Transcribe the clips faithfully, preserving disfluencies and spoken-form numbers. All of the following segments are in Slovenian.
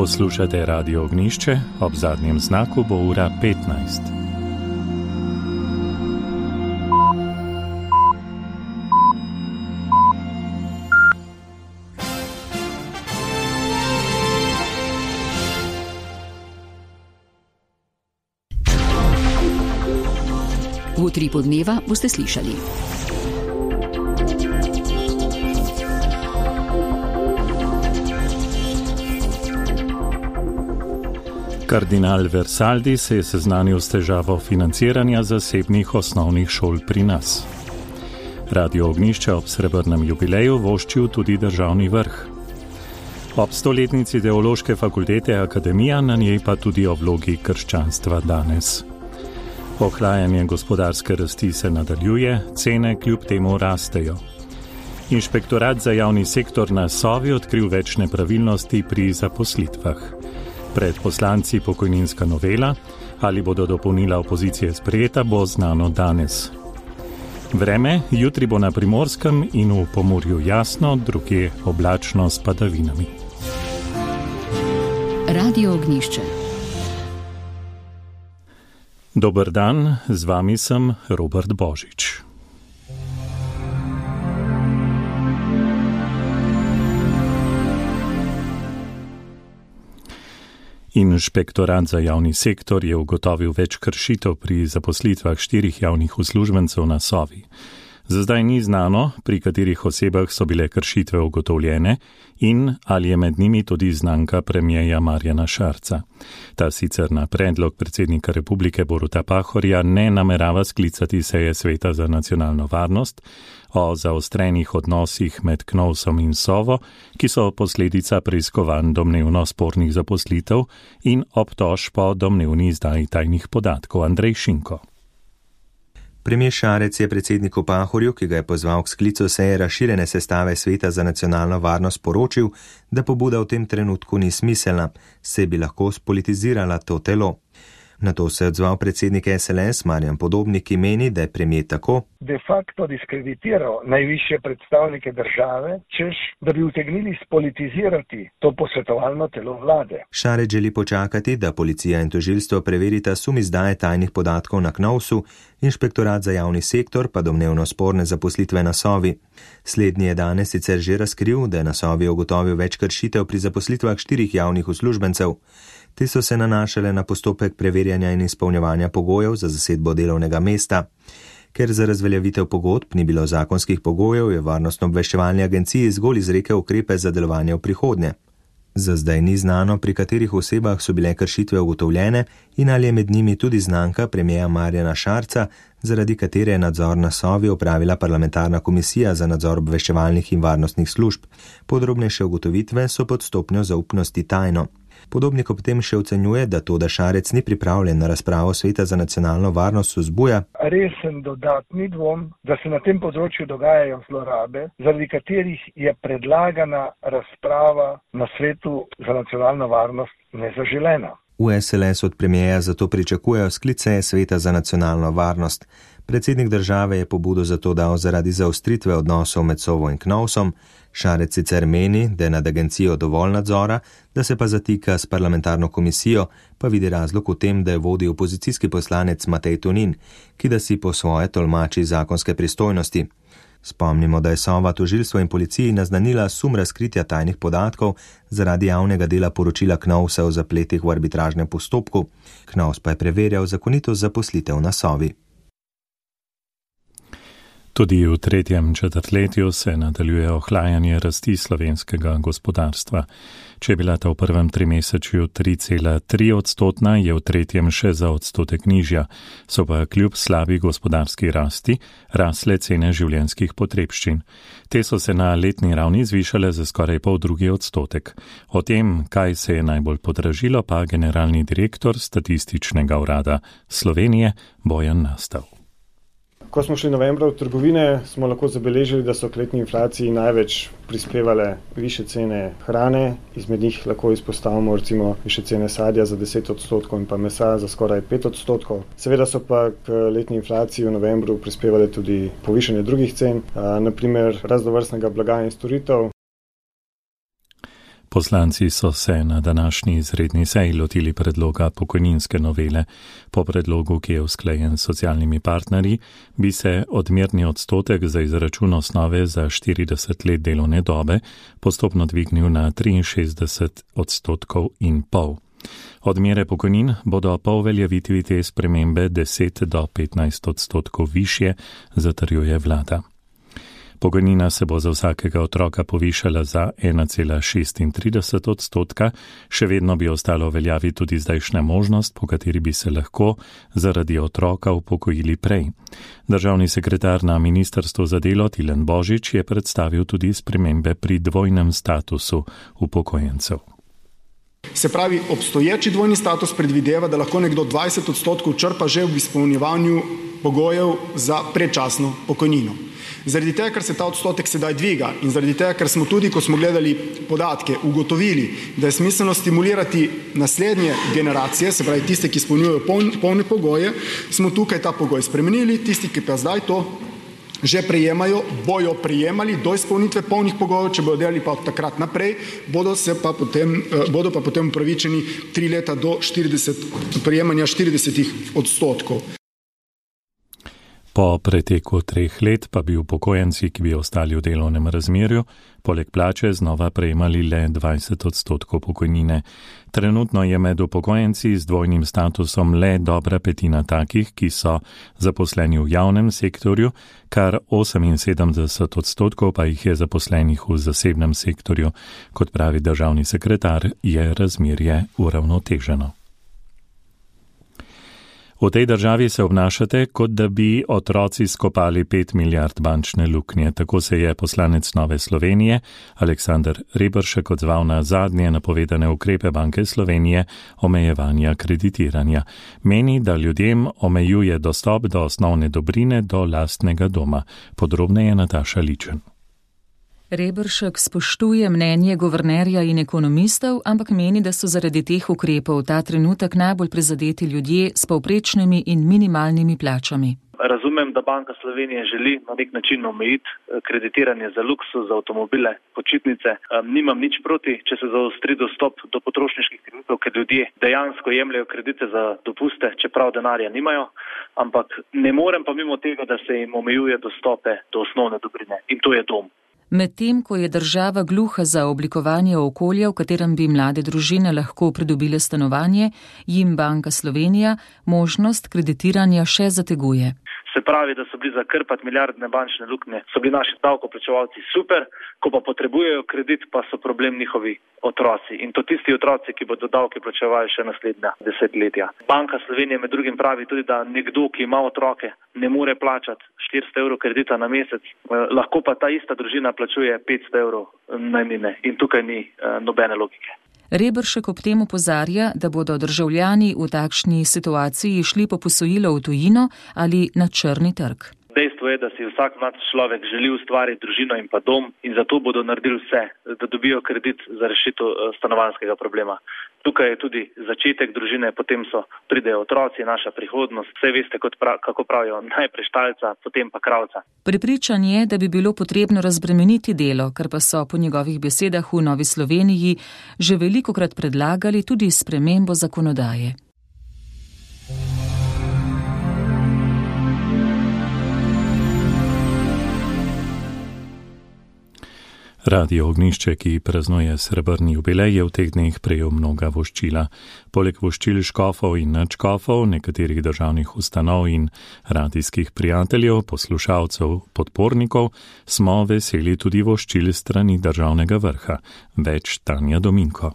Poslušate Radio Ognjišče, ob zadnjem znaku bo ura petnajst. V utripu dneva boste slišali. Kardinal Versaldi se je seznanil s težavo financiranja zasebnih osnovnih šol pri nas. Radio Ognjišče ob srebrnem jubileju voščil tudi državni vrh. Ob stoletnici Teološke fakultete Akademija, na njej pa tudi o vlogi krščanstva danes. Ohlajanje gospodarske rasti se nadaljuje, cene kljub temu rastejo. Inšpektorat za javni sektor na Sovi odkril več nepravilnosti pri zaposlitvah. Pred poslanci pokojninska novela, ali bodo dopolnila opozicije sprejeta, bo znano danes. Vreme, jutri bo na Primorskem in v Pomurju jasno, drugje oblačno s padavinami. Radio Ognjišče. Dober dan, z vami sem Robert Božič. Inšpektorat za javni sektor je ugotovil več kršitev pri zaposlitvah štirih javnih uslužbencev na Sovi. Za zdaj ni znano, pri katerih osebah so bile kršitve ugotovljene in ali je med njimi tudi znanka premierja Marjana Šarca. Ta sicer na predlog predsednika Republike Boruta Pahorja ne namerava sklicati seje Sveta za nacionalno varnost o zaostrenih odnosih med Knovsom in Sovo, ki so posledica preiskovanj domnevno spornih zaposlitev in obtožb po domnevni izdaji tajnih podatkov. Andrej Šinko. Premier Šarec je predsedniku Pahorju, ki ga je pozval k sklicu seje razširjene sestave Sveta za nacionalno varnost, poročil, da pobuda v tem trenutku ni smiselna, saj bi lahko spolitizirala to telo. Na to se je odzval predsednik S L S Marjan Podobnik, ki meni, da je premier tako de facto diskreditiral najvišje predstavnike države, češ, da bi utegnili spolitizirati to posvetovalno telo vlade. Šarec želi počakati, da policija in tožilstvo preverita sum izdaje tajnih podatkov na Knovsu, inšpektorat za javni sektor pa domnevno sporne zaposlitve na Sovi. Slednji je danes sicer že razkril, da je na Sovi ugotovil več kršitev pri zaposlitvah štirih javnih uslužbencev. Te so se nanašale na postopek preverjanja in izpolnjevanja pogojev za zasedbo delovnega mesta. Ker za razveljavitev pogodb ni bilo zakonskih pogojev, je Varnostno-obveščevalni agenciji zgolj izrekel ukrepe za delovanje v prihodnje. Za zdaj ni znano, pri katerih osebah so bile kršitve ugotovljene in ali je med njimi tudi znanka premierja Marjana Šarca, zaradi katere je nadzor na Sovi opravila parlamentarna komisija za nadzor obveščevalnih in varnostnih služb. Podrobnejše ugotovitve so pod stopnjo zaupnosti tajno. Podobnik ob tem še ocenjuje, da to, da Šarec ni pripravljen na razpravo Sveta za nacionalno varnost, vzbuja resen dodatni dvom, da se na tem področju dogajajo zlorabe, zaradi katerih je predlagana razprava na Svetu za nacionalno varnost nezaželena. V S L S od premierja zato pričakujejo sklice Sveta za nacionalno varnost. Predsednik države je pobudo zato dal zaradi zaostritve odnosov med Sovo in Knovsom. Šarec sicer meni, da je nad agencijo dovolj nadzora, da se pa zatika s parlamentarno komisijo, pa vidi razlog v tem, da je vodi opozicijski poslanec Matej Tonin, ki da si po svoje tolmači zakonske pristojnosti. Spomnimo, da je Sova tožilstvo in policiji naznanila sum razkritja tajnih podatkov zaradi javnega dela poročila Knovsa o zapletih v arbitražnem postopku. Knovs pa je preverjal zakonitost zaposlitev na Sovi. Tudi v tretjem četrtletju se nadaljuje ohlajanje rasti slovenskega gospodarstva. Če je bila ta v prvem trimesečju tri cela tri odstotna, je v tretjem še za odstotek nižja, so pa kljub slabi gospodarski rasti rasle cene življenjskih potrebščin. Te so se na letni ravni zvišale za skoraj pol drugi odstotek. O tem, kaj se je najbolj podražilo, pa generalni direktor Statističnega urada Slovenije Bojan Nastav. Ko smo šli novembra v trgovine, smo lahko zabeležili, da so k letni inflaciji največ prispevale više cene hrane, izmed njih lahko izpostavimo recimo više cene sadja za deset odstotkov in pa mesa za skoraj pet odstotkov. Seveda so pa k letni inflaciji v novembru prispevale tudi povišanje drugih cen, naprimer raznovrstnega blaga in storitev. Poslanci so se na današnji izredni seji lotili predloga pokojninske novele. Po predlogu, ki je usklajen s socialnimi partnerji, bi se odmerni odstotek za izračun osnove za štirideset let delovne dobe postopno dvignil na triinšestdeset odstotkov in pol. Odmere pokojnin bodo po uveljavitvi te spremembe deset do petnajst odstotkov višje, zatrjuje vlada. Pokojnina se bo za vsakega otroka povišala za ena cela šestintrideset odstotka, še vedno bi ostalo veljavi tudi zdajšnja možnost, po kateri bi se lahko zaradi otroka upokojili prej. Državni sekretar na Ministrstvu za delo Tilen Božič je predstavil tudi spremembe pri dvojnem statusu upokojencev. Se pravi, obstoječi dvojni status predvideva, da lahko nekdo dvajset odstotkov črpa že v izpolnjevanju pogojev za predčasno pokojnino. Zaradi tega, ker se ta odstotek sedaj dviga in zaradi tega, ker smo tudi, ko smo gledali podatke, ugotovili, da je smiselno stimulirati naslednje generacije, se pravi tiste, ki izpolnjujejo polne pogoje, smo tukaj ta pogoj spremenili, tisti, ki pa zdaj to že prejemajo, bojo prejemali do izpolnitve polnih pogojev, če bodo delali pa od takrat naprej, bodo, se pa potem, bodo pa potem upravičeni tri leta do štirideset, prejemanja štiridesetih odstotkov. Po preteku treh let pa bi upokojenci, ki bi ostali v delovnem razmerju, poleg plače znova prejemali le dvajset odstotkov pokojnine. Trenutno je med upokojenci z dvojnim statusom le dobra petina takih, ki so zaposleni v javnem sektorju, kar oseminsedemdeset odstotkov pa jih je zaposlenih v zasebnem sektorju. Kot pravi državni sekretar, je razmerje uravnoteženo. V tej državi se obnašate, kot da bi otroci skopali pet milijard bančne luknje. Tako se je poslanec Nove Slovenije Aleksander Reberšek odzval na zadnje napovedane ukrepe Banke Slovenije omejevanja kreditiranja. Meni, da ljudem omejuje dostop do osnovne dobrine do lastnega doma. Podrobneje Nataša Ličen. Reberšek spoštuje mnenje guvernerja in ekonomistov, ampak meni, da so zaradi teh ukrepov ta trenutek najbolj prizadeti ljudje s povprečnimi in minimalnimi plačami. Razumem, da Banka Slovenije želi na nek način omejiti kreditiranje za luksuz, za avtomobile, počitnice. Nimam nič proti, če se zaostri dostop do potrošniških kreditov, ker ljudje dejansko jemljajo kredite za dopuste, čeprav denarja nimajo, ampak ne morem pa mimo tega, da se jim omejuje dostope do osnovne dobrine in to je dom. Medtem, ko je država gluha za oblikovanje okolja, v katerem bi mlade družine lahko pridobile stanovanje, jim Banka Slovenija možnost kreditiranja še zateguje. Se pravi, da so bili zakrpati milijardne bančne luknje, so bili naši davkoplačevalci super, ko pa potrebujejo kredit, pa so problem njihovi otroci. In to tisti otroci, ki bodo davke plačevali še naslednja desetletja. Banka Slovenije med drugim pravi tudi, da nekdo, ki ima otroke, ne more plačati štiristo evrov kredita na mesec, lahko pa ta ista družina plačuje petsto evrov najmnine in tukaj ni nobene logike. Reberšek ob tem opozarja, da bodo državljani v takšni situaciji šli po posojilo v tujino ali na črni trg. Dejstvo je, da si vsak mlad človek želi ustvariti družino in pa dom in zato bodo naredili vse, da dobijo kredit za rešitev stanovanjskega problema. Tukaj je tudi začetek družine, potem so pridejo otroci, naša prihodnost. Vse veste, kot prav, kako pravijo, najprej štalca, potem pa kravca. Prepričan je, da bi bilo potrebno razbremeniti delo, kar pa so po njegovih besedah v Novi Sloveniji že velikokrat predlagali tudi spremembo zakonodaje. Radio Ognjišče, ki praznuje srebrni jubilej, je v teh dneh prejel mnoga voščila. Poleg voščil škofov in nadškofov, nekaterih državnih ustanov in radijskih prijateljev, poslušalcev, podpornikov, smo veseli tudi voščil strani državnega vrha. Več Tanja Dominko.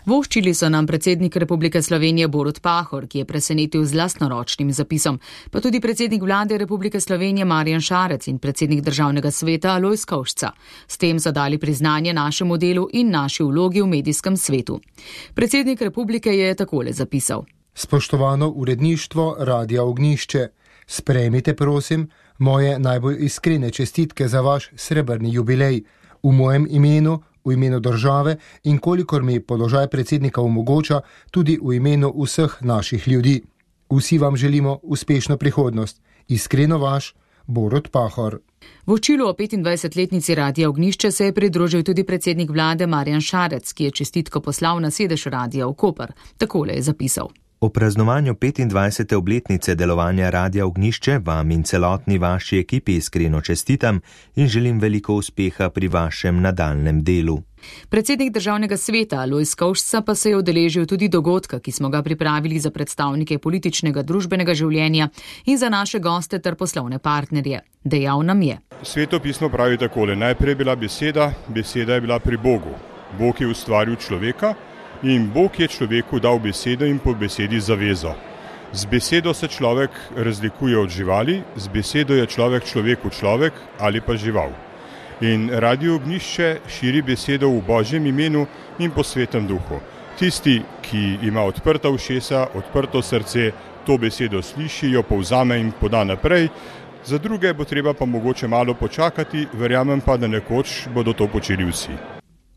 Voščili so nam predsednik Republike Slovenije Borut Pahor, ki je presenetil z lastnoročnim zapisom, pa tudi predsednik vlade Republike Slovenije Marjan Šarec in predsednik državnega sveta Alojz Kovšca. S tem so dali priznanje našemu delu in naši vlogi v medijskem svetu. Predsednik republike je takole zapisal. Spoštovano uredništvo Radia Ognjišče, sprejmite prosim moje najbolj iskrene čestitke za vaš srebrni jubilej v mojem imenu, v imenu države in kolikor mi položaj predsednika omogoča, tudi v imenu vseh naših ljudi. Vsi vam želimo uspešno prihodnost. Iskreno vaš, Borut Pahor. V vočilu o petindvajsetletnici Radia Ognjišče se je pridružil tudi predsednik vlade Marjan Šarec, ki je čestitko poslal na sedež Radia v Koper. Takole je zapisal. O praznovanju petindvajsete obletnice delovanja Radia Ognjišče vam in celotni vaši ekipi iskreno čestitam in želim veliko uspeha pri vašem nadaljnem delu. Predsednik državnega sveta Lojz Kovšca pa se je udeležil tudi dogodka, ki smo ga pripravili za predstavnike političnega družbenega življenja in za naše goste ter poslovne partnerje. Dejal nam je. Sveto pismo pravi takole, najprej je bila beseda, beseda je bila pri Bogu. Bog je ustvaril človeka in Bog je človeku dal besedo in po besedi zavezo. Z besedo se človek razlikuje od živali, z besedo je človek človeku človek ali pa žival. In Radio Ognjišče širi besedo v Božjem imenu in po svetem duhu. Tisti, ki ima odprta ušesa, odprto srce, to besedo sliši, jo povzame in poda naprej. Za druge bo treba pa mogoče malo počakati, verjamem pa, da nekoč bodo to počeli vsi.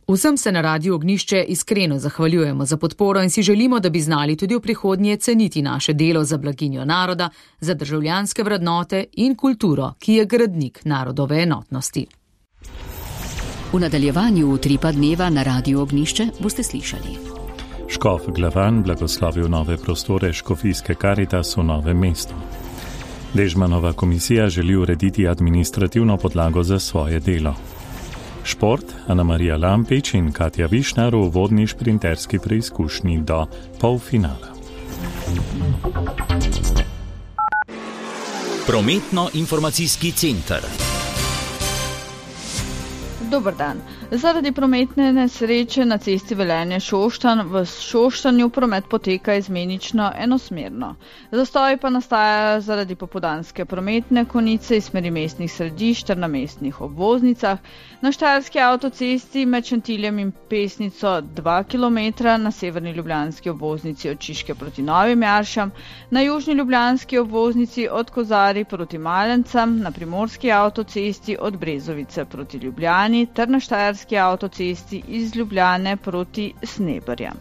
Vsem se na Radiu Ognjišče iskreno zahvaljujemo za podporo in si želimo, da bi znali tudi v prihodnje ceniti naše delo za blaginjo naroda, za državljanske vrednote in kulturo, ki je gradnik narodove enotnosti. V nadaljevanju utripa dneva na Radiu Ognjišče boste slišali. Škof Glavan blagoslovil nove prostore Škofijske Karitas v Novem mestu. Dežmanova komisija želi urediti administrativno podlago za svoje delo. Šport, Ana Marija Lampič in Katja Višnar v vodni šprinterski preizkušnji do polfinala. Prometno-informacijski center. Dober dan. Zaradi prometne nesreče na cesti Velenje-Šoštanj v Šoštanju promet poteka izmenično enosmerno. Zastoj pa nastaja zaradi popoldanske prometne konice iz smeri mestnih središč ter na mestnih obvoznicah, na štajerski avtocesti med Šentiljem in Pesnico dva kilometra, na severni ljubljanski obvoznici od Čiške proti Novim Jaršam, na južni ljubljanski obvoznici od Kozari proti Malencam, na primorski avtocesti od Brezovice proti Ljubljani ter na štajerski avtocesti iz Ljubljane proti Sneberjem.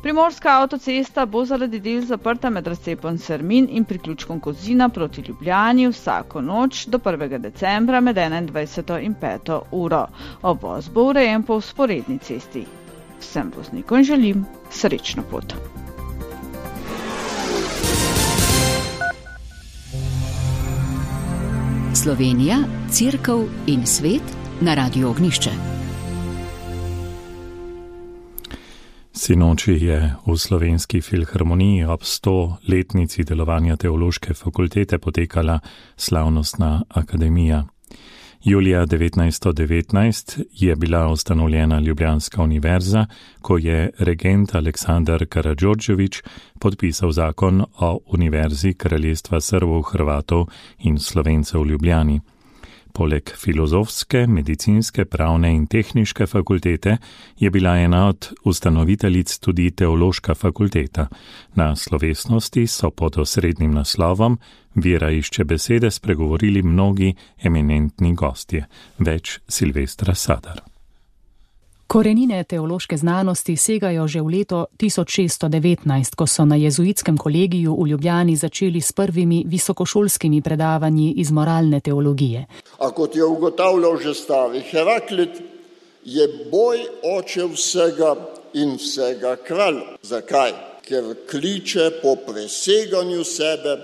Primorska avtocesta bo zaradi del zaprta med razcepom Sermin in priključkom Kozina proti Ljubljani vsako noč do prvega decembra med enaindvajseto in peto uro. Obvoz bo urejen po vzporedni cesti. Vsem voznikom želim srečno pot. Slovenija, Cerkev in svet na Radiu Ognjišče. Sinoči je v Slovenski filharmoniji ob stoletnici delovanja Teološke fakultete potekala slavnostna akademija. Julija devetnajststo devetnajst je bila ustanovljena Ljubljanska univerza, ko je regent Aleksandar Karadžordžević podpisal zakon o Univerzi Kraljestva Srbov, Hrvatov in Slovencev v Ljubljani. Poleg filozofske, medicinske, pravne in tehniške fakultete je bila ena od ustanoviteljic tudi Teološka fakulteta. Na slovesnosti so pod osrednjim naslovom Vera išče besede spregovorili mnogi eminentni gostje. Več Silvestra Sadar. Korenine teološke znanosti segajo že v leto tisoč šeststo devetnajst, ko so na jezuitskem kolegiju v Ljubljani začeli s prvimi visokošolskimi predavanji iz moralne teologije. A kot je ugotavljal že stari Heraklit, je boj oče vsega in vsega kralj. Zakaj? Ker kliče po preseganju sebe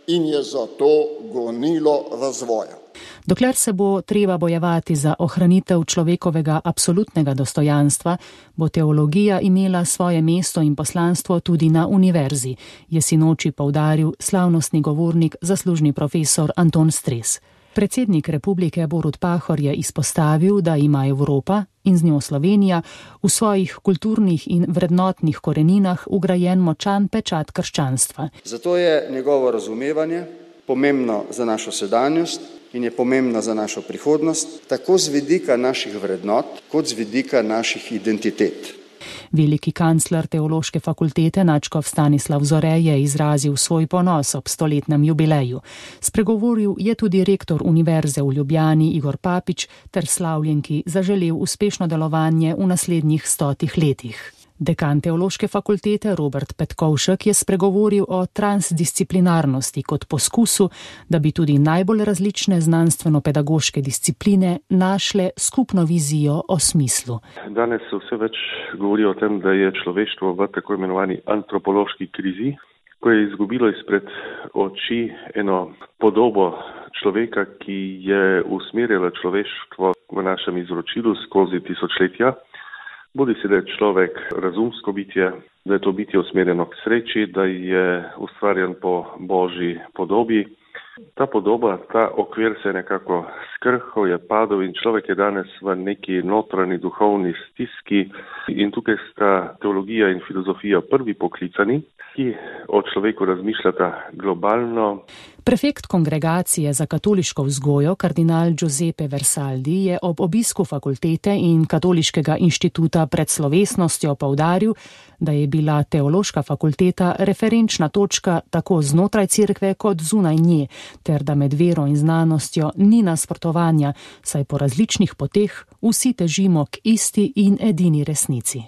in je zato gonilo razvoja. Dokler se bo treba bojevati za ohranitev človekovega absolutnega dostojanstva, bo teologija imela svoje mesto in poslanstvo tudi na univerzi, je sinoči poudaril slavnostni govornik, zaslužni profesor Anton Stres. Predsednik republike Borut Pahor je izpostavil, da ima Evropa in z njo Slovenija v svojih kulturnih in vrednotnih koreninah ugrajen močan pečat krščanstva. Zato je njegovo razumevanje pomembno za našo sedanjost in je pomembna za našo prihodnost, tako z vidika naših vrednot, kot z vidika naših identitet. Veliki kancler Teološke fakultete nadškof Stanislav Zore je izrazil svoj ponos ob stoletnem jubileju. Spregovoril je tudi rektor Univerze v Ljubljani Igor Papič ter slavljenki zaželel uspešno delovanje v naslednjih stotih letih. Dekan Teološke fakultete Robert Petkovšek je spregovoril o transdisciplinarnosti kot poskusu, da bi tudi najbolj različne znanstveno-pedagoške discipline našle skupno vizijo o smislu. Danes se vse več govori o tem, da je človeštvo v tako imenovani antropološki krizi, ko je izgubilo izpred oči eno podobo človeka, ki je usmerjala človeštvo v našem izročilu skozi tisočletja. Bodi si, da je človek razumsko bitje, da je to bitje usmerjeno k sreči, da je ustvarjen po Božji podobi. Ta podoba, ta okvir se je nekako skrhal, je padel in človek je danes v neki notranji duhovni stiski in tukaj sta teologija in filozofija prvi poklicani, ki o človeku razmišljata globalno. Prefekt kongregacije za katoliško vzgojo, kardinal Giuseppe Versaldi, je ob obisku fakultete in Katoliškega inštituta pred slovesnostjo poudaril, da je bila teološka fakulteta referenčna točka tako znotraj cerkve kot zunaj nje, ter da med vero in znanostjo ni nasprotovanja, saj po različnih poteh vsi težimo k isti in edini resnici.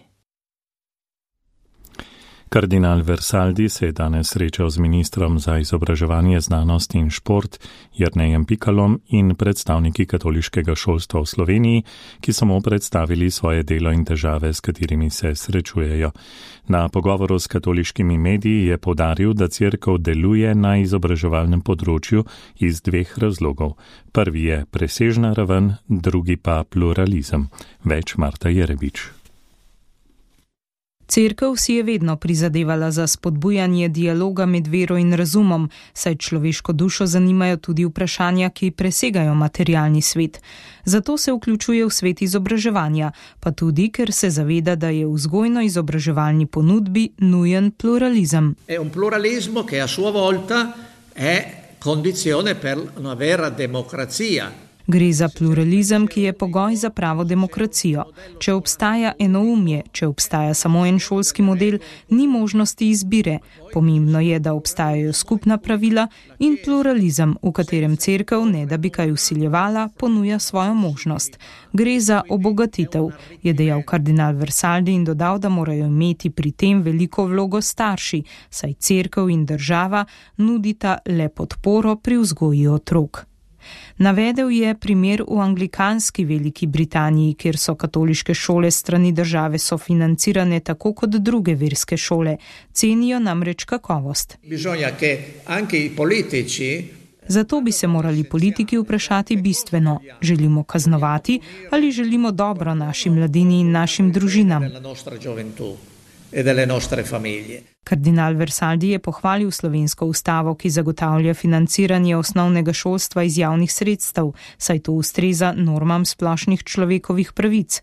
Kardinal Versaldi se je danes srečal z ministrom za izobraževanje, znanost in šport Jernejem Pikalom in predstavniki katoliškega šolstva v Sloveniji, ki so mu predstavili svoje delo in težave, s katerimi se srečujejo. Na pogovoru s katoliškimi mediji je poudaril, da cerkev deluje na izobraževalnem področju iz dveh razlogov. Prvi je presežna raven, drugi pa pluralizem. Več Marta Jerebič. Cerkev si je vedno prizadevala za spodbujanje dialoga med vero in razumom, saj človeško dušo zanimajo tudi vprašanja, ki presegajo materialni svet. Zato se vključuje v svet izobraževanja, pa tudi, ker se zaveda, da je v vzgojno-izobraževalni ponudbi nujen pluralizem. È un pluralismo che a sua volta è condizione per una vera democrazia. Gre za pluralizem, ki je pogoj za pravo demokracijo. Če obstaja enoumje, če obstaja samo en šolski model, ni možnosti izbire. Pomembno je, da obstajajo skupna pravila in pluralizem, v katerem cerkev, ne da bi kaj vsiljevala, ponuja svojo možnost. Gre za obogatitev, je dejal kardinal Versaldi in dodal, da morajo imeti pri tem veliko vlogo starši, saj cerkev in država nudita le podporo pri vzgoji otrok. Navedel je primer v anglikanski Veliki Britaniji, kjer so katoliške šole strani države sofinancirane tako kot druge verske šole. Cenijo namreč kakovost. Zato bi se morali politiki vprašati bistveno, želimo kaznovati ali želimo dobro naši mladini in našim družinam. Kardinal Versaldi je pohvalil slovensko ustavo, ki zagotavlja financiranje osnovnega šolstva iz javnih sredstev, saj to ustreza normam splošnih človekovih pravic.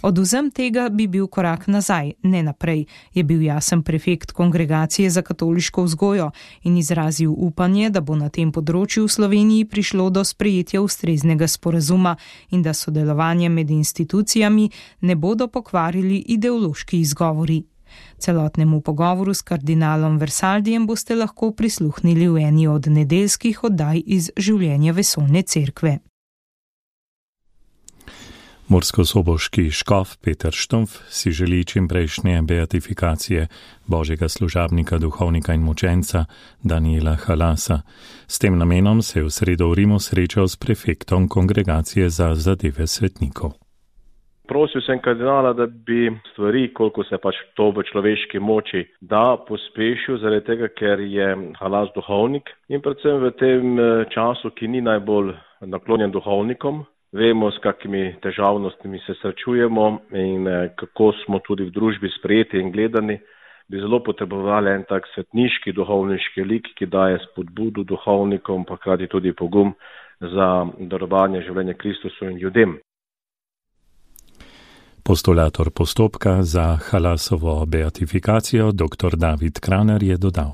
Odvzem tega bi bil korak nazaj, ne naprej, je bil jasen prefekt kongregacije za katoliško vzgojo in izrazil upanje, da bo na tem področju v Sloveniji prišlo do sprejetja ustreznega sporazuma in da sodelovanje med institucijami ne bodo pokvarili ideološki izgovori. Celotnemu pogovoru s kardinalom Versaldijem boste lahko prisluhnili v eni od nedeljskih oddaj iz življenja vesoljne cerkve. Murskosoboški škof Peter Štumpf si želi čimprejšnje beatifikacije božjega služabnika, duhovnika in mučenca Daniela Halasa. S tem namenom se je v sredo v Rimu srečal s prefektom kongregacije za zadeve svetnikov. Prosil sem kardinala, da bi stvari, koliko se pač to v človeški moči, da pospešil, zaradi tega, ker je Halas duhovnik in predvsem v tem času, ki ni najbolj naklonjen duhovnikom, vemo, s kakimi težavnostmi se srečujemo in kako smo tudi v družbi sprejeti in gledani, bi zelo potrebovali en tak svetniški, duhovniški lik, ki daje spodbudo duhovnikom, pa hkrati tudi pogum za darovanje življenja Kristusu in ljudem. Postulator postopka za Halasovo beatifikacijo dr. David Kraner je dodal.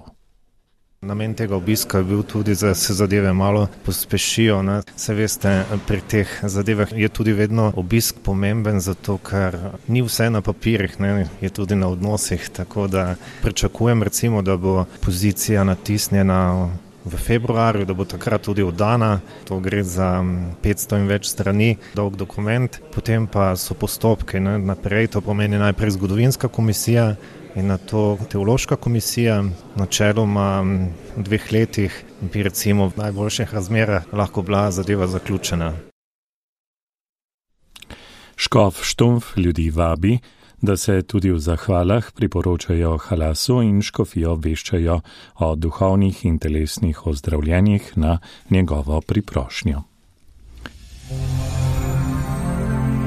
Namen tega obiska je bil tudi, da se zadeve malo pospešijo. Ne. Se veste, pri teh zadevah je tudi vedno obisk pomemben, zato ker ni vse na papirjih, ne, je tudi na odnosih, tako da pričakujem recimo, da bo pozicija natisnjena v februarju, da bo takrat tudi oddana. To gre za petsto in več strani dolg dokument. Potem pa so postopke ne, naprej, to pomeni najprej zgodovinska komisija in na to teološka komisija. Načeloma v dveh letih bi recimo v najboljših razmerah lahko bila zadeva zaključena. Škof Štumf ljudi vabi, da se tudi v zahvalah priporočajo halasu in škofijo obveščajo o duhovnih in telesnih ozdravljenjih na njegovo priprošnjo.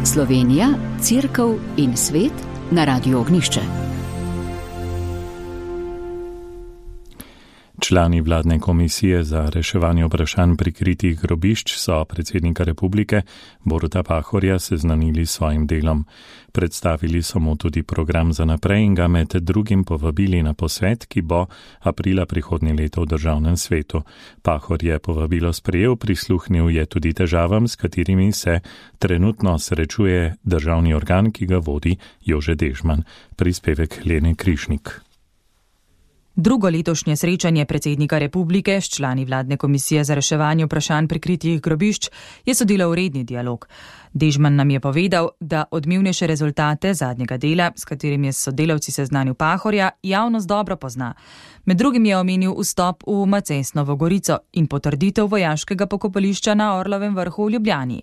Slovenija, Cerkev in svet na Radiu Ognjišče. Člani vladne komisije za reševanje vprašanj prikritih grobišč so predsednika republike Boruta Pahorja seznanili s svojim delom. Predstavili so mu tudi program za naprej in ga med drugim povabili na posvet, ki bo aprila prihodnje leto v državnem svetu. Pahor je povabilo sprejel, prisluhnil je tudi težavam, s katerimi se trenutno srečuje državni organ, ki ga vodi Jože Dežman. Prispevek Lene Krišnik. Drugo letošnje srečanje predsednika republike s člani vladne komisije za reševanje vprašanj prikritih grobišč je sodilo v redni dialog. Dežman nam je povedal, da odmevnejše rezultate zadnjega dela, s katerim je s sodelavci seznanil Pahorja, javnost dobro pozna. Med drugim je omenil vstop v Macesnovo Gorico in potrditev vojaškega pokopališča na Orlovem vrhu v Ljubljani.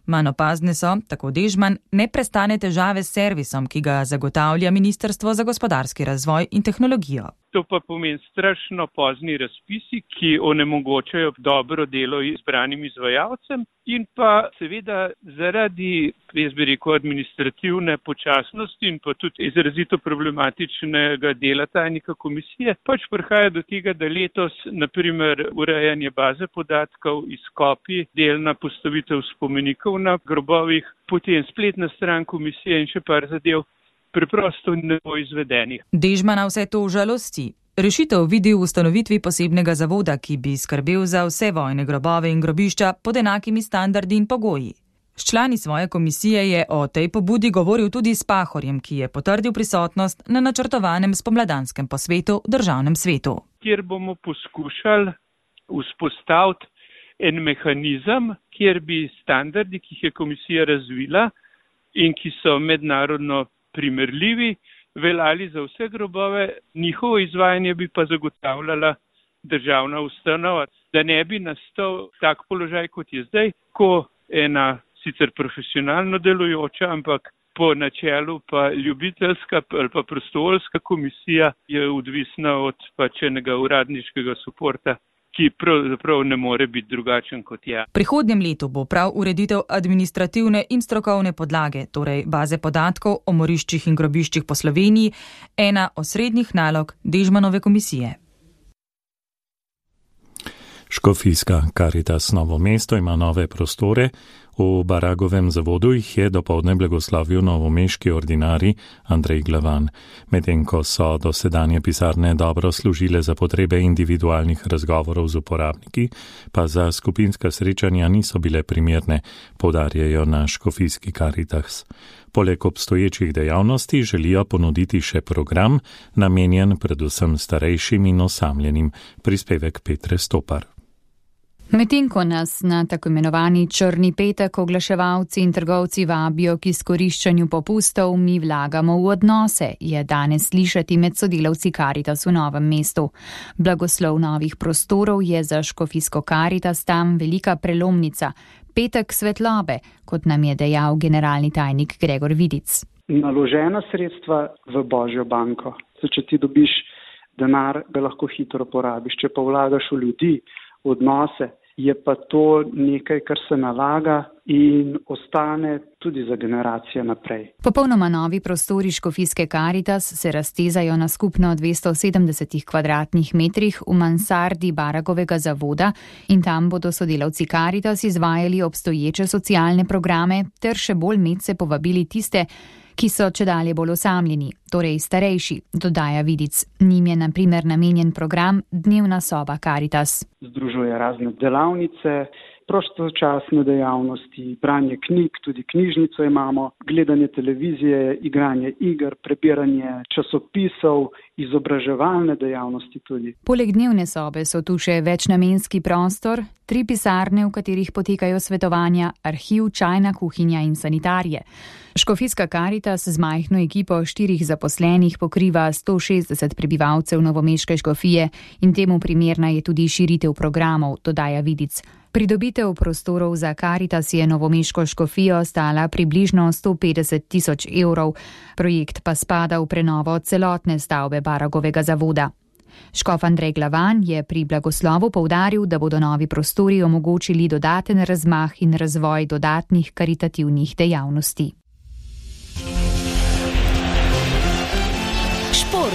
Manj opazne so, tako Dežman, neprestane težave s servisom, ki ga zagotavlja Ministrstvo za gospodarski razvoj in tehnologijo. To pa pomeni strašno pozni razpisi, ki onemogočajo dobro delo izbranim izvajalcem in pa seveda zaradi, jaz bi rekel, administrativne počasnosti in pa tudi izrazito problematičnega dela tajnika komisije, pač prihaja do tega, da letos, naprimer, urejanje baze podatkov, izkopi, delna postavitev spomenikov na grobovih, potem spletna stran komisije in še par zadev, preprosto ne bo izvedenih. Dežmana vse to žalosti. Rešitev vidi v ustanovitvi posebnega zavoda, ki bi skrbel za vse vojne grobove in grobišča pod enakimi standardi in pogoji. S člani svoje komisije je o tej pobudi govoril tudi s Pahorjem, ki je potrdil prisotnost na načrtovanem spomladanskem posvetu v državnem svetu. Kjer bomo poskušali vzpostaviti en mehanizem, kjer bi standardi, ki jih je komisija razvila in ki so mednarodno primerljivi, veljali za vse grobove, njihovo izvajanje bi pa zagotavljala državna ustanova, da ne bi nastal tak položaj, kot je zdaj, ko ena sicer profesionalno delujoča, ampak po načelu pa ljubiteljska ali pa prostovoljska komisija je odvisna od pač enega uradniškega suporta, ki pravzaprav ne more biti drugačen kot je. V prihodnjem letu bo prav ureditev administrativne in strokovne podlage, torej baze podatkov o moriščih in grobiščih po Sloveniji, ena osrednjih nalog Dežmanove komisije. Škofijska Karitas Novo mesto ima nove prostore. V Baragovem zavodu jih je dopoldne blagoslovil novomeški ordinarij Andrej Glavan. Medtem ko so dosedanje pisarne dobro služile za potrebe individualnih razgovorov z uporabniki, pa za skupinska srečanja niso bile primerne, poudarjajo na Škofijski Karitas. Poleg obstoječih dejavnosti želijo ponuditi še program, namenjen predvsem starejšim in osamljenim. Prispevek Petre Stopar. Medtem ko nas na tako imenovani črni petek oglaševalci in trgovci vabijo k izkoriščanju popustov, mi vlagamo v odnose, je danes slišati med sodelavci Karitas v Novem mestu. Blagoslov novih prostorov je za Škofijsko Karitas tam velika prelomnica. Petek svetlobe, kot nam je dejal generalni tajnik Gregor Vidic. Naložena sredstva v Božjo banko. Če ti dobiš denar, ga lahko hitro porabiš. Če pa vlagaš v ljudi, v odnose, je pa to nekaj, kar se nalaga in ostane tudi za generacije naprej. Popolnoma novi prostori Škofijske Karitas se raztezajo na skupno dvesto sedemdeset kvadratnih metrih v mansardi Baragovega zavoda in tam bodo sodelavci Karitas izvajali obstoječe socialne programe ter še bolj medse povabili tiste, ki so čedalje bolj osamljeni, torej starejši, dodaja Vidic. Njim je na primer namenjen program Dnevna soba Karitas. Združuje razne delavnice, prostočasne dejavnosti, branje knjig, tudi knjižnico imamo, gledanje televizije, igranje iger, prebiranje časopisov, izobraževalne dejavnosti tudi. Poleg dnevne sobe so tu še večnamenski prostor, tri pisarne, v katerih potekajo svetovanja, arhiv, čajna kuhinja in sanitarije. Škofijska Karitas z majhno ekipo štirih zaposlenih pokriva sto šestdeset prebivalcev novomeške škofije in temu primerna je tudi širitev programov, dodaja Vidic. Pridobitev prostorov za Karitas je novomeško škofijo stala približno sto petdeset tisoč evrov. Projekt pa spada v prenovo celotne stavbe Baragovega zavoda. Škof Andrej Glavan je pri blagoslovu poudaril, da bodo novi prostori omogočili dodaten razmah in razvoj dodatnih karitativnih dejavnosti. Šport.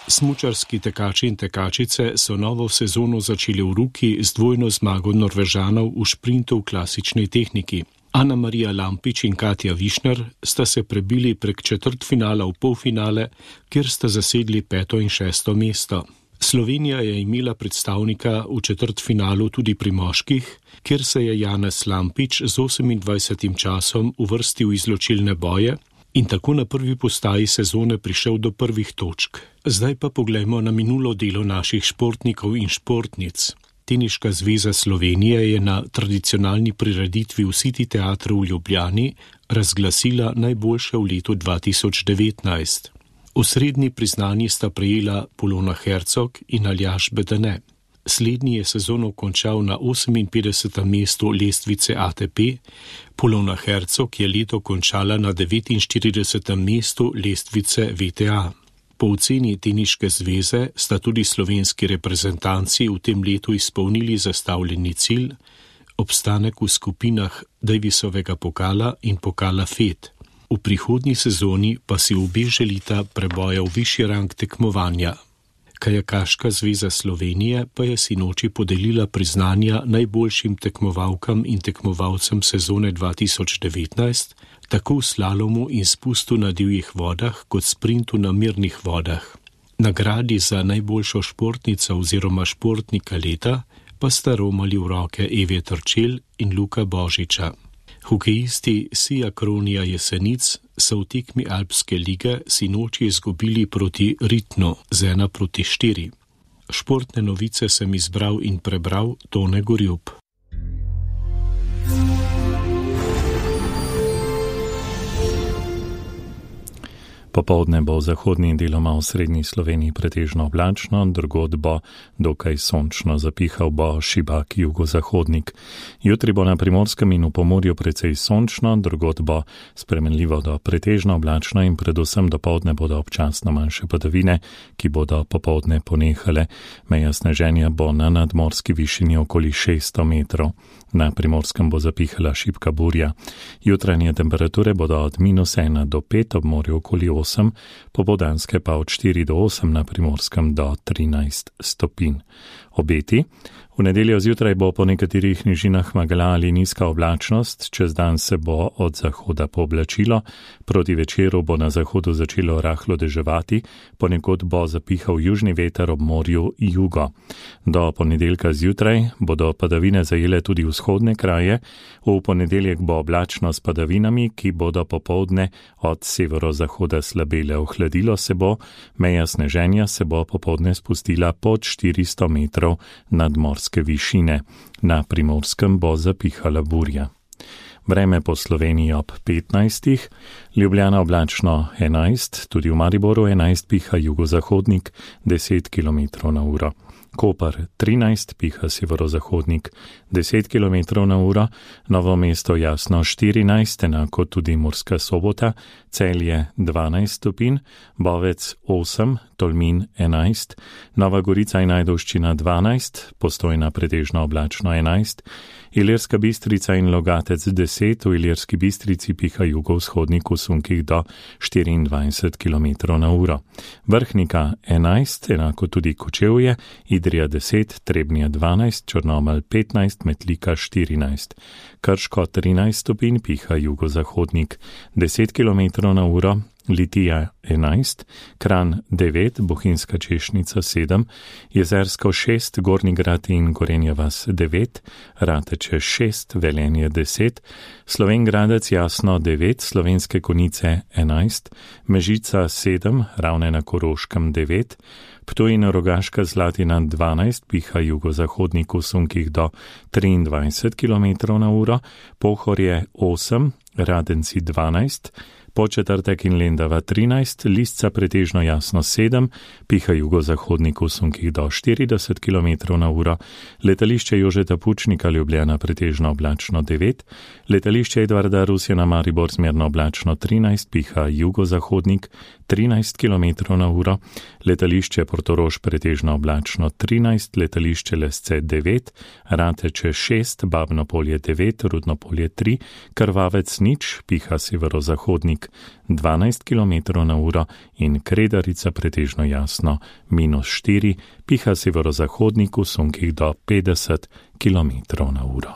Smučarski tekači in tekačice so novo sezono začeli v Ruki z dvojno zmago Norvežanov v šprintu v klasični tehniki. Ana Marija Lampič in Katja Višner sta se prebili prek četrtfinala v polfinale, kjer sta zasedli peto in šesto mesto. Slovenija je imela predstavnika v četrtfinalu tudi pri moških, kjer se je Janez Lampič z osemindvajsetim časom uvrstil v izločilne boje in tako na prvi postaji sezone prišel do prvih točk. Zdaj pa poglejmo na minulo delo naših športnikov in športnic. Teniška zveza Slovenije je na tradicionalni prireditvi v City teatru v Ljubljani razglasila najboljše v letu dva tisoč devetnajst. Osrednji priznanji sta prejela Polona Hercog in Aljaž Bedene. Slednji je sezono končal na oseminpetdesetem mestu lestvice A T P, Polona Hercog je leto končala na devetinštiridesetem mestu lestvice V T A. Po oceni Teniške zveze sta tudi slovenski reprezentanci v tem letu izpolnili zastavljeni cilj, obstanek v skupinah Davisovega pokala in pokala F E D. V prihodnji sezoni pa si obe želita preboja v višji rang tekmovanja. Kajakaška zveza Slovenije pa je sinoči podelila priznanja najboljšim tekmovalkam in tekmovalcem sezone dva tisoč devetnajst, tako v slalomu in spustu na divjih vodah kot sprintu na mirnih vodah. Nagradi za najboljšo športnico oziroma športnika leta pa sta romali v roke Eve Trčel in Luka Božiča. Hokejisti Sija Kronija Jesenic so v tekmi Alpske lige sinoči izgubili proti Ritnu z ena proti štiri. Športne novice sem izbral in prebral Tone Gorjup. Popoldne bo v zahodni in deloma v srednji Sloveniji pretežno oblačno, drugod bo dokaj sončno, zapihal bo šibak jugozahodnik. Jutri bo na Primorskem in v Pomurju precej sončno, drugod bo spremenljivo do pretežno oblačno in predvsem dopoldne bodo občasno manjše padavine, ki bodo popoldne ponehale. Meja sneženja bo na nadmorski višini okoli šeststo metrov. Na Primorskem bo zapihala šibka burja. Jutranje temperature bodo od minus ena do pet, ob morju okoli osem, popoldanske pa od štiri do osem, na Primorskem do trinajst stopinj. Obeti. V nedeljo zjutraj bo po nekaterih nižinah megla ali nizka oblačnost, čez dan se bo od zahoda pooblačilo, proti večeru bo na zahodu začelo rahlo deževati, ponekod bo zapihal južni veter, ob morju jugo. Do ponedeljka zjutraj bodo padavine zajele tudi vzhodne kraje, v ponedeljek bo oblačno s padavinami, ki bodo popoldne od severozahoda slabele. Ohladilo se bo, meja sneženja se bo popoldne spustila pod štiristo metrov nadmorske višine. Na Primorskem bo zapihala burja. Vreme po Sloveniji ob petnajstih, Ljubljana oblačno enajst, tudi v Mariboru enajst, piha jugozahodnik deset kilometrov na uro. Koper trinajst, piha severozahodnik deset kilometrov na uro, Novo mesto jasno štirinajst, enako tudi Murska Sobota, Celje dvanajst stopinj, Bovec osem, Tolmin enajst, Nova Gorica in Ajdovščina dvanajst, Postojna pretežno oblačno enajst, Ilirska Bistrica in Logatec deset, v Ilirski Bistrici piha jugovzhodnik v sunkih do štiriindvajset kilometrov na uro. Vrhnika enajst, enako tudi Kočevje, Idrija deset, Trebnje dvanajst, Črnomelj petnajst, Metlika štirinajst. Krško trinajst stopinj, piha jugozahodnik deset kilometrov na uro, Litija enajst, Kranj devet, Bohinjska Češnica sedem, Jezersko šest, Gornji Grad in Gorenja vas devet, Rateče šest, Velenje deset, Slovenj Gradec Jasno devet, Slovenske Konjice enajst, Mežica sedem, Ravne na Koroškem devet, Ptuj in Rogaška Slatina dvanajst, piha jugozahodnik v sunkih do triindvajset kilometrov na uro, Pohorje osem, Radenci dvanajst, Početrtek in Lendava trinajst, Lisca pretežno jasno sedem, piha jugozahodnik v sunkih do štirideset kilometrov na uro, letališče Jožeta Pučnika Ljubljana pretežno oblačno devet, letališče Edvarda Rusjana Maribor zmerno oblačno trinajst, piha jugozahodnik trinajst kilometrov na uro, letališče Portorož pretežno oblačno trinajst, letališče Lesce devet, Rateče šest, Babno Polje devet, Rudno Polje tri, Krvavec nič, piha severozahodnik dvanajst kilometrov na uro in Kredarica pretežno jasno minus štiri, piha severozahodnik v sunkih do petdeset kilometrov na uro.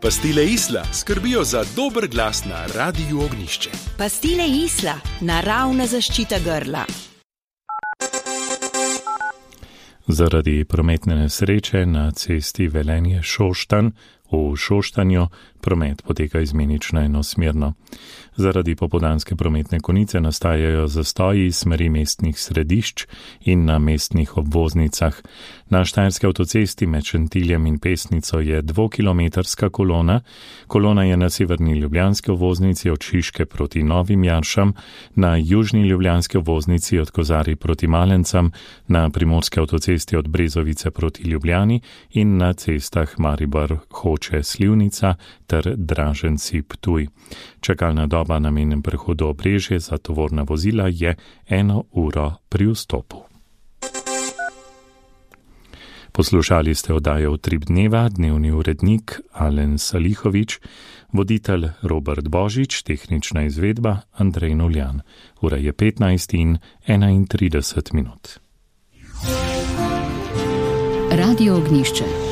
Pastile Isla skrbijo za dober glas na Radiu Ognjišče. Pastile Isla, naravna zaščita grla. Zaradi prometne nesreče na cesti Velenje Šoštanj v Šoštanju promet poteka izmenično enosmerno. Zaradi popoldanske prometne konice nastajajo zastoji iz smeri mestnih središč in na mestnih obvoznicah. Na Štajerski avtocesti med Šentiljem in Pesnico je dvokilometrska kolona. Kolona je na severni ljubljanski obvoznici od Šiške proti Novim Jaršam, na južni ljubljanski obvoznici od Kozarij proti Malencam, na primorski avtocesti od Brezovice proti Ljubljani in na cestah Maribor Hoče Slivnica ter Draženci Ptuj. Čakalna doba na mejnem prehodu Obrežje za tovorna vozila je eno uro pri vstopu. Poslušali ste oddajo Utrip dneva, dnevni urednik Alen Salihovič, voditelj Robert Božič, tehnična izvedba Andrej Noljan. Ura je petnajst in enaintrideset minut. Radio Ognjišče.